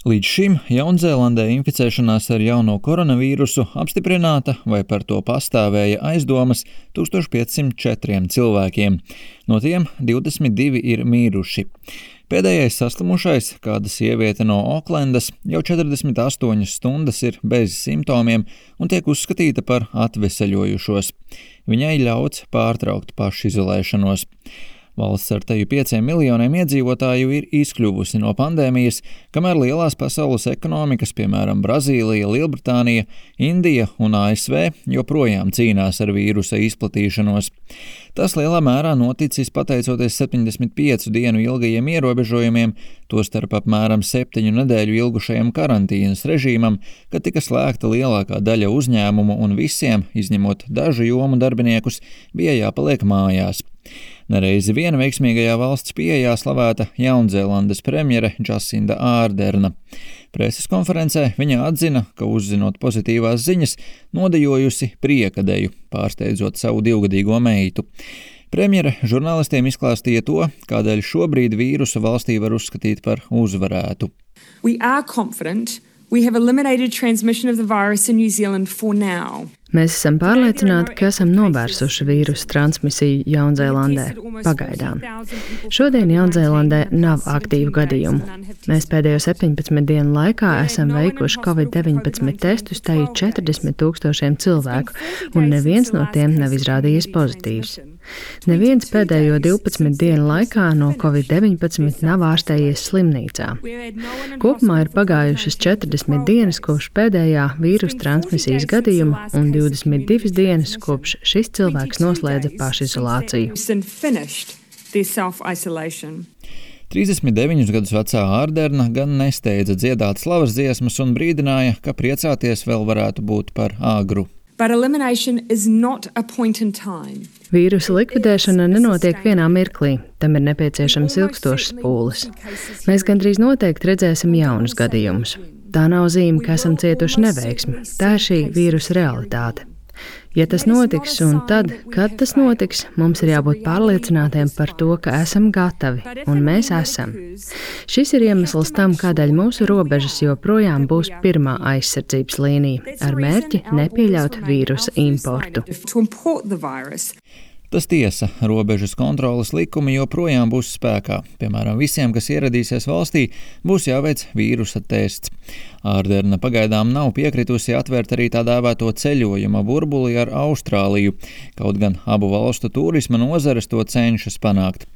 Līdz šim Jaunzēlandē inficēšanās ar jauno koronavīrusu apstiprināta vai par to pastāvēja aizdomas 1504 cilvēkiem. No tiem 22 ir miruši. Pēdējais saslimušais, kāda sieviete no Oklendas, jau 48 stundas ir bez simptomiem un tiek uzskatīta par atveseļojušos. Viņai ļauts pārtraukt pašizolēšanos. Valsts ar teju 5 miljoniem iedzīvotāju ir izkļuvusi no pandēmijas, kamēr lielās pasaules ekonomikas, piemēram, Brazīlija, Lielbritānija, Indija un ASV, joprojām cīnās ar vīrusa izplatīšanos. Tas lielā mērā noticis pateicoties 75 dienu ilgajiem ierobežojumiem, tostarp apmēram 7 nedēļu ilgušajam karantīnas režīmam, kad tika slēgta lielākā daļa uzņēmumu un visiem, izņemot dažu jomu darbiniekus, bija jāpaliek mājās. Nereizi vien veiksmīgajā valsts pieejā slavēta Jaunzēlandes premjere Džasinda Ārderna. Preses konferencē viņa atzina, ka uzzinot pozitīvās ziņas, nodejojusi priekadeju, pārsteidzot savu 2-gadīgo meitu. Premjere žurnālistiem izklāstīja to, kādēļ šobrīd vīrusu valstī var uzskatīt par uzvarētu. We are confident we have eliminated transmission of the virus in New Zealand for now. Mēs esam pārliecināti, ka esam novērsuši vīrusu transmisiju Jaunzēlandē pagaidām. Šodien Jaunzēlandē nav aktīvu gadījumu. Mēs pēdējo 17 dienu laikā esam veikuši COVID-19 testus tai 40,000 cilvēku, un neviens no tiem nav izrādījies pozitīvs. Neviens pēdējo 12 dienu laikā no COVID-19 nav ārstējies slimnīcā. Kopumā ir pagājušas 40 dienas kopš pēdējā vīrusu transmisijas gadījuma un 22 dienas kopš šis cilvēks noslēdza pašizolāciju. 39 gadus vecā Ārderna gan nesteidza dziedāt slavas dziesmas un brīdināja, ka priecāties vēl varētu būt par āgru. Vīrusa likvidēšana nenotiek vienā mirklī, tam ir nepieciešams ilgstošs pūles. Mēs gandrīz noteikti redzēsim jaunus gadījumus. Tā nav zīme, ka esam cietuši neveiksmi, tā ir šī vīrusa realitāte. Ja tas notiks un tad, kad tas notiks, mums ir jābūt pārliecinātiem par to, ka esam gatavi, un mēs esam. Šis ir iemesls tam, kādēļ mūsu robežas joprojām būs pirmā aizsardzības līnija, ar mērķi nepieļaut vīrusa importu. Tas tiesa, robežas kontroles likumi joprojām būs spēkā. Piemēram, visiem, kas ieradīsies valstī, būs jāveic vīrusa tests. Ārderna pagaidām nav piekritusi atvērt arī tā dēvēto ceļojuma burbuli ar Austrāliju, kaut gan abu valstu turisma nozares to cenšas panākt.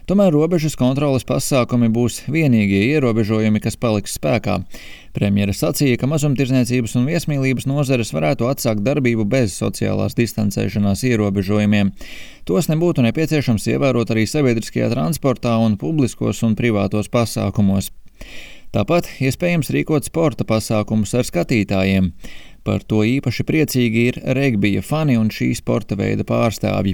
Tomēr robežas kontroles pasākumi būs vienīgie ierobežojumi, kas paliks spēkā. Premjere sacīja, ka mazumtirdzniecības un viesmīlības nozares varētu atsākt darbību bez sociālās distancēšanās ierobežojumiem. Tos nebūtu nepieciešams ievērot arī sabiedriskajā transportā un publiskos un privātos pasākumos. Tāpat iespējams rīkot sporta pasākumus ar skatītājiem. Par to īpaši priecīgi ir regbija fani un šī sporta veida pārstāvji.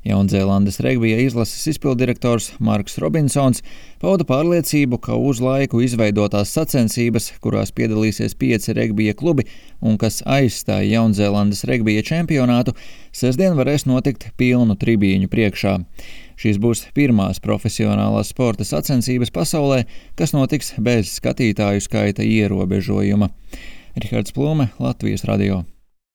Jaunzēlandes regbija izlases izpildirektors Marks Robinsons pauda pārliecību, ka uz laiku izveidotās sacensības, kurās piedalīsies 5 regbija klubi un kas aizstāja Jaunzēlandes regbija čempionātu, sestdien varēs notikt pilnu tribīņu priekšā. Šīs būs pirmās profesionālās sporta sacensības pasaulē, kas notiks bez skatītāju skaita ierobežojuma. Rihards Plume, Latvijas radio.